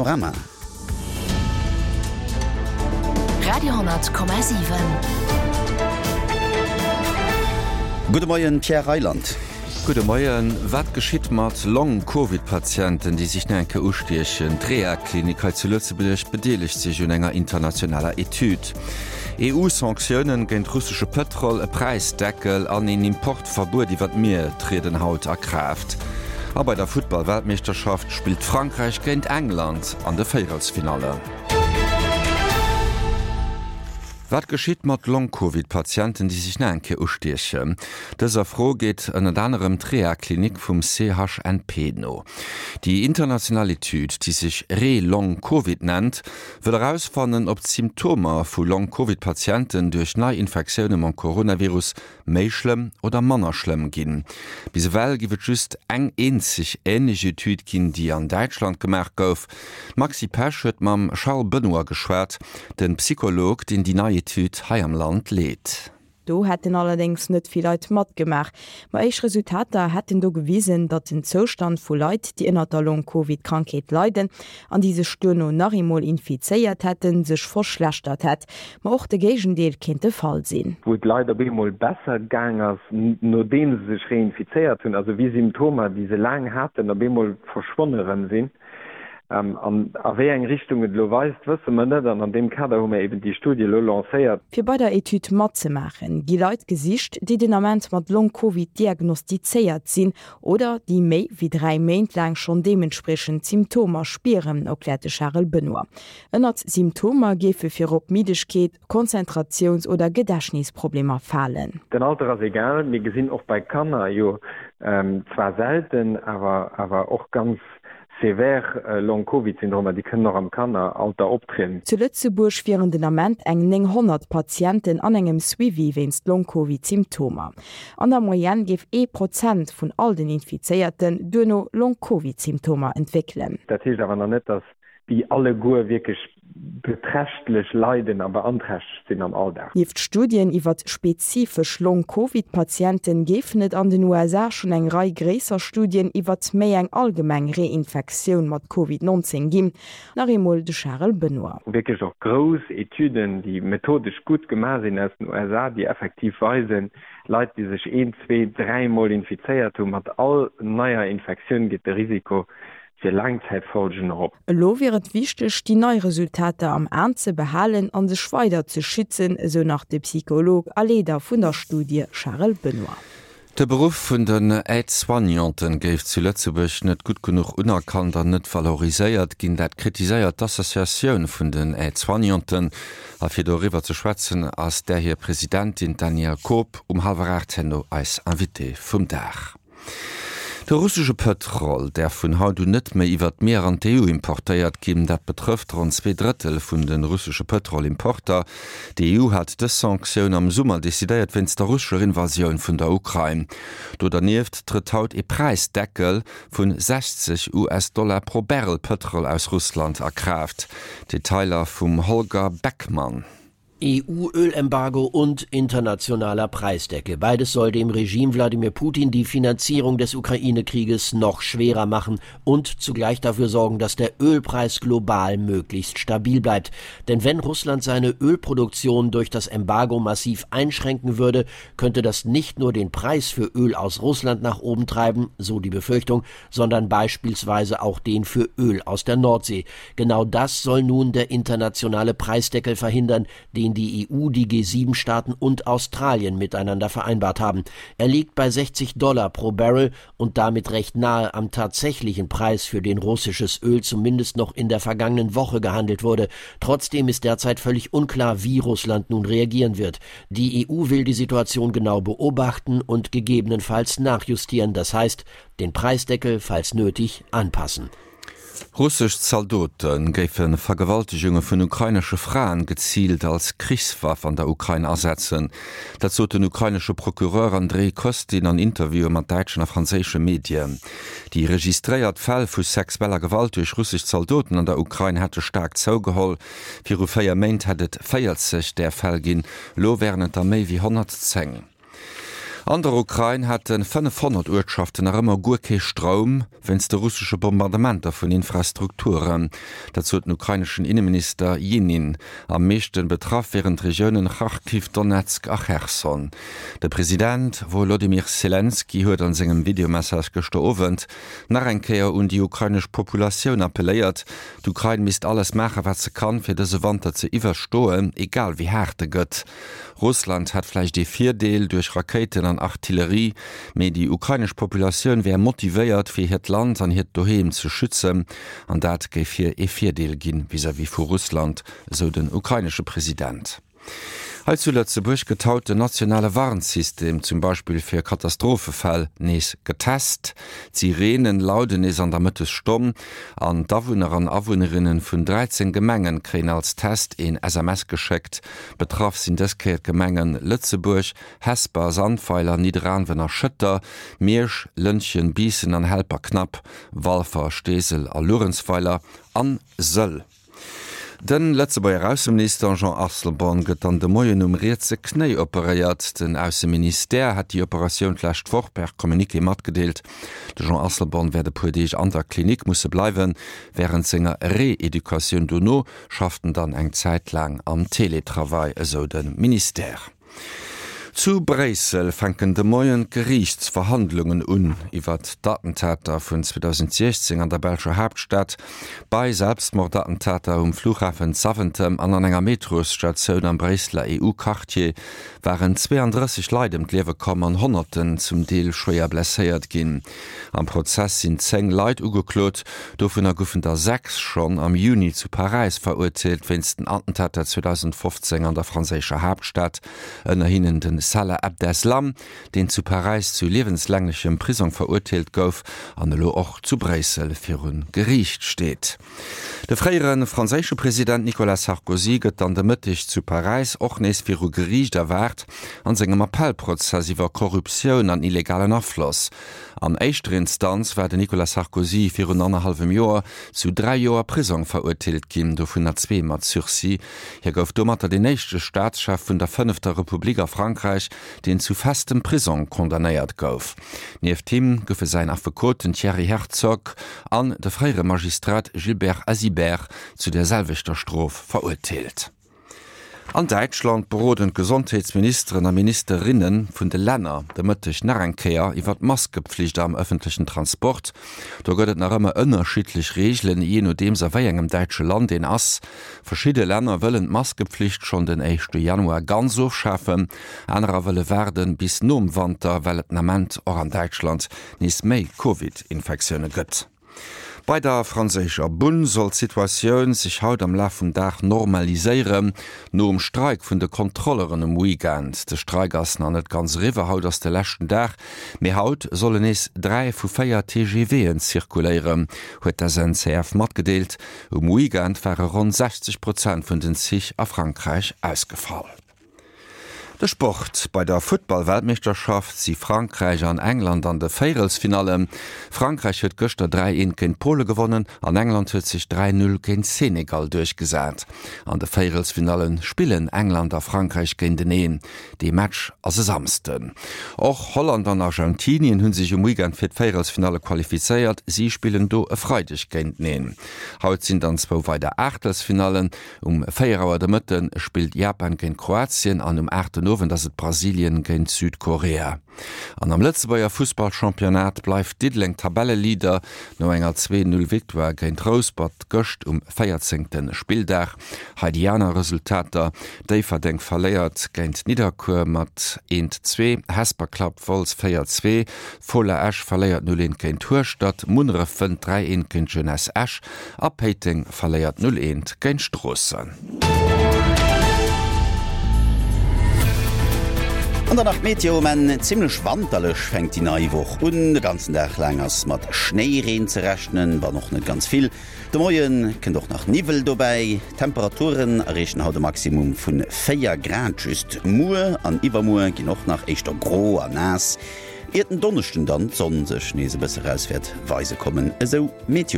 Panorama. Radio,7. Gudde Moien, Pierre Reyland. Gudde Moien. Wat geschitt mat Long-Covid-Patienten, déi sech nach eng Kéier ustiechen? D'Rehaklinik hei zu Lëtzebuerg bedeelegt sech un enger internationaler Etüd. EU-Sanktiounen géint russesche Pëtrol, e Präisdeckel an een Importverbuet iwwer d'Mier trieden haut a Kraaft. A bei der Futtball-Weltmeeschterschaft spillt Frankräich géint England an de Véierelsfinallen. Wat geschitt mat Long-Covid-Patienten, déi sech nach eng Kéier ustiechen? Dëser Fro geet ënnert anerem d'Rehaklinik vum CHNP no. Déi international Etüd, déi sech Re-Long-Covid nennt, wëll erausfannen, ob d'Symptomer vu Long-Covid-Patienten duerch nei Infektioune mam Coronavirus méi schlëmm oder manner schlëmm ginn. Bis ewell giff et just eng eenzeg änlech Etüd ginn, déi an Däitschland gemaach gouf. D'Maxi Pesch huet mam Charles Benoy geschwat, de Psycholog, deen déi nei Etüd hei am Land leet. Do hätten allerdéngs net vill Leit matgemaach. Ma éischt Resultater hätten do gewisen, datt den Zoustand vu Leit, déi ënnert der Long-Covid-Krankheet leiden an déi sech duerno nach eemol infizéiert hätten, sech verschlechtert hätt. Ma och de Géigendeel kéint de Fall sinn. Wou et Leit op eemol besser gaang ass, nodeem se sech reinfizéiert hunn, also wéi Symptomer, déi se laang haten, op eemol verschwonne rëm sinn. An a wéi eng Richtung et elo weist, wësse mer net. An an deem Kader hu mer eben déi Studie elo lancéiert. Fir bei der Etüd matzemaachen, gi Leit gesicht, déi den Ament mat Long-Covid diagnostizéiert sinn oder déi méi wéi 3 Méint laang schonn deementspriechend Symptomer spieren, erkläert de Charel Benoy. Ënnert Symptomer géife virop Middegkeet, Konzentratiouns oder Gedächtnisproblemer falen. Den Alter ass egal, mir gesinn och bei Kanner jo zwar selten, awer awer och ganz sévère Long-Covid-Syndromer, déi kënnen och am Kanneralter optrieden. Zu Lëtzebuerg wieren den Ament eng 900 Patienten an engem Suivi wéinst Long-Covid-Symptomer. An der Moyenne géif ee Prozent vun all den Infizéierten duerno Long-Covid-Symptomer entwéckelen. Dat heescht awer nach net, dass déi alleguer wierklech beträchtlech leiden a beanträchtegt sinn am Alldag. Nieft Studien iwwert spezifesch Long-Covid-Patienten géifen et an den USA schonn eng Rei gréisser Studien iwwert méi eng allgemeng Reinfektioun mat Covid 19 ginn. Nach eemol de Charel Benoy. Wierklech och grouss Etüden, déi methodesch gutt gemaach sinn aus den USA, déi effektiv weisen, Leit, déi sech een, zwee, dräimol infizéiert hunn, mat all neier Infektioun geet de Risiko fir Laangzäitfolgen erop. Elo wier et wichteg, déi nei Resultater am An ze behalen a sech weider ze schützen, esou nach de Psycholog a Leeder vun der Studie Charel Benoy. De Beruff vun den Aide-soignanten géif zu Lëtzebuerg net gutt genuch unerkannt an net valoriséiert ginn. Dat kritiséiert d'Associatioun vun den Aide-soignanten. A fir doriwwer ze schwätzen, ass där hir Presidentin, d'Danièle Koob, um hallwer 8 herno eis Invitée vum Dag. De russesche Pëtrol däerf vun haut un net méi iwwer d'Mier an d'EU importéiert ginn. Dat betrëfft ronn 2 Drëttel vun de russesche Pëtrolimporter. D'EU hat dës Sanktioun am Summer decidéiert wéinst der russescher Invasioun vun der Ukrain. Do dernieft trëtt haut ee Präisdeckel vun 60 US-Dollar pro Barrel Pëtrol aus Russland a Kraaft. Detailer vum Holger Beckmann. EU-Ölembargo und internationaler Preisdeckel. Beides soll dem Regime Wladimir Putin die Finanzierung des Ukraine-Krieges noch schwerer machen und zugleich dafür sorgen, dass der Ölpreis global möglichst stabil bleibt. Denn wenn Russland seine Ölproduktion durch das Embargo massiv einschränken würde, könnte das nicht nur den Preis für Öl aus Russland nach oben treiben, so die Befürchtung, sondern beispielsweise auch den für Öl aus der Nordsee. Genau das soll nun der internationale Preisdeckel verhindern, den die EU, die G7-Staaten und Australien miteinander vereinbart haben. Er liegt bei 60 Dollar pro Barrel und damit recht nahe am tatsächlichen Preis, für den russisches Öl zumindest noch in der vergangenen Woche gehandelt wurde. Trotzdem ist derzeit völlig unklar, wie Russland nun reagieren wird. Die EU will die Situation genau beobachten und gegebenenfalls nachjustieren, das heißt, den Preisdeckel, falls nötig, anpassen. Russesch Zaldote géife Vergewaltegunge vun ukrainesche Fraen geziilt als Krichswaff an der Ukrain asetzen. Dat sot den ukrainesche Procureur Andrij Kostin an Interviewe mat däitschen a franséische Medien. Déi registréiert Fäll vu sexueller Gewalt duerch russesch Zaldoten an der Ukrain hätte staark zougeholl. Viru 4 Méint hätt et 40 där Fäll ginn, elo wären et der méi wéi 110. An der Ukrain hätte 500 Uertschaften nach ëmmer guer kee Stroum, wéinst de russesche Bombardementer vun Infrastrukturen. Dat sot den ukraineschen Inneminister Jinin. Am meeschte betraff wieren d'Regiounen Charkiw, Donezk a Cherson. De President Wolodymyr Selenskyj huet an sengem Videomessage gëschter Owend nach eng Kéier un déi ukrainesch Populatioun appelléiert. D'Ukrain misst alles maachen, wat se kann, fir dëse Wanter ze iwwerstoen, egal wéi haart e gëtt. Russland hätt vläicht ee Virdeel duerch Rakéiten an Artillerie, mee déi ukrainesch Populatioun wär motivéiert, fir hiert Land an hiert Doheem ze schützen, an dat géif hir ee Virdeel ginn vis-à-vis vu Russland, esou den ukrainesche President. Hei zu Lëtzebuerg gëtt haut den nationale Warnsystem, zum Beispill fir Katastrophefäll, nees getest. D'Sireenen lauden nees an der Mëttesstonn an d'Awunner an Awunnerinne vun 13 Gemengen kréien als Test een SMS geschéckt. Betraff sinn dës Kéier d'Gemengen Lëtzebuerg, Hesper, Sandweiler, Nidderaanwen a Schëtter, Miersch, Lëntgen, Biissen an Helperknapp, Walfer, Steesel a Luerenzweiler an Sëll. De Lëtzebuerger Ausseminister Jean Asselborn gëtt dann de Moien um rietse Knéi operéiert. Den Ausseministère hat déi Operatioun d'lescht Woch per Communiqué matgedeelt. De Jean Asselborn wäert e puer Deeg an der Klinik musse bleiwen. Wärend senger Reeducatioun dono schafft en dann eng Zäit laang am Teletravail, esou de Ministère. Zu Bréissel fänken de Moien d'Geriichtsverhandlungen un iwwert d'Attentater vun 2016 an der belscher Haaptstad. Bei Selbstmordattentater um Flughafen Zaventem an an enger Metrosstatioun am Bréisseler EU-Quartier waren 32 Leit ëm d'Liewe komm an Honnerten zum Deel schwéier blesséiert ginn. Am Prozess sinn 10 Leit ugeklot, dovunner goufen der 6 schonn am Juni zu Paräis verurteelt wéinst den Attentater 2015 an der franséischer Haaptstad, ënner hinnen de Salah Abdeslam, deen zu Paräis zu liewenslänglechem Prisong verurteelt gouf an elo och zu Bréissel viru Geriicht steet. De fréiere franséische President Nicolas Sarkozy gëtt dann de Mëtteg zu Paräis och nees viru Geriicht erwaart an sengem Appellprozess iwwer Korruptioun an illegalen Afloss. An éischter Instanz war den Nicolas Sarkozy virun annerhallwem Joer zu 3 Joer Prisong verurteelt ginn, dovunner zwee mat Sursis. Hie gouf domatter deen éischte Staatschef vun der fënnefter Republik a Frankräich, deen zu festem Prisong condamnéiert gouf. Nieft him goufe säin Affekot, den Thierry Herzog, an de fréiere Magistrat Gilbert Azibert zu der selwechter Strof verurteelt. An Däitschland beroden d'Gesondheetsministeren a Ministerinne vun de Länner de Mëtteg nach eng Kéier iwwer d'Maskepflicht am ëffentlechen Transport. Do gëtt et nach ëmmer ënnerschiddlech Reegelen, jee nodeems a wéi engem däitsche Land een ass. Verschidde Länner wëllen d'Maskepflicht schonn den éischte Januar ganz ofschafen, anerer wëlle waarden bis nom Wanter, well et den Ament och an Däitschland nees méi Covid-Infektioune gëtt. Bei der franséischer Bunn soll d'Situatioun sech haut am Laf vum Dag normaliséieren, nom Streik vun de Kontrolleren um Weekend. De Streik ass nach net ganz eriwwer, haut ass de leschten Dag, mee haut sollen nees 3 vu 4 TGVen zirkuléieren, huet d'SNCF matgedeelt. Um Weekend ware ronn 60 Prozent vun den Zich a Frankräich ausgefall. De Sport, Bei der Futtball-Weltmeeschterschaft si Frankräich an England an de Véierelsfinallen. Frankräich huet gëschter 3, 1 géint Pole gewonnen an England huet sech 3, 0 géint Senegal duerchgesat. An de Véierelsfinalle spillen England a Frankräich géinteneen. Dee Match ass e Samsden. Och Holland an Argentinien hu sech um Weekend fir d'Véierelsfinalle qualifizéiert. Si spillen do e Freideg géinteneen. Haut sinn dann zwou weider Aachtelsfinallen. Um 4 Auer de Mëtte spillt Japan géint Kroatien an um 8 den Owend ass et Brasilien géint Südkorea. An am Lëtzebuerger Fussballchampionnat bleift Diddeleng Tabelleleader no enger 2, 0 Victoire géint Rouspert gëscht um 14. Spilldag. Hei déi aner Resultater, Déifferdeng verléiert géint Nidderkuer mat 1, 2, Hesper klappt Wolz 4, 2, Fola Esch verléiert 0, 1 géint Hueschtert, Munneref wënnt 3, 1 géint Jeunesse Esch A Péiteng verléiert 0, 1 géint Stroossen. An dann nach d'Meteo, Men zimmlech wanterlech fänkt déi nei Woch un. De ganzen Dag laang ass mat Schnéireen ze rechnen, wann och net ganz vill. De Moie kënnt och nach Niwwel dobäi. D'Temperaturen erreechen haut e Maximum vu 4 Grad just. Muer an iwwermuer ginn och nach éischter gro a naass, iert en Donneschden dann d'Sonn sech nees e bësse raus wäert weise kommen, esou Meteolux.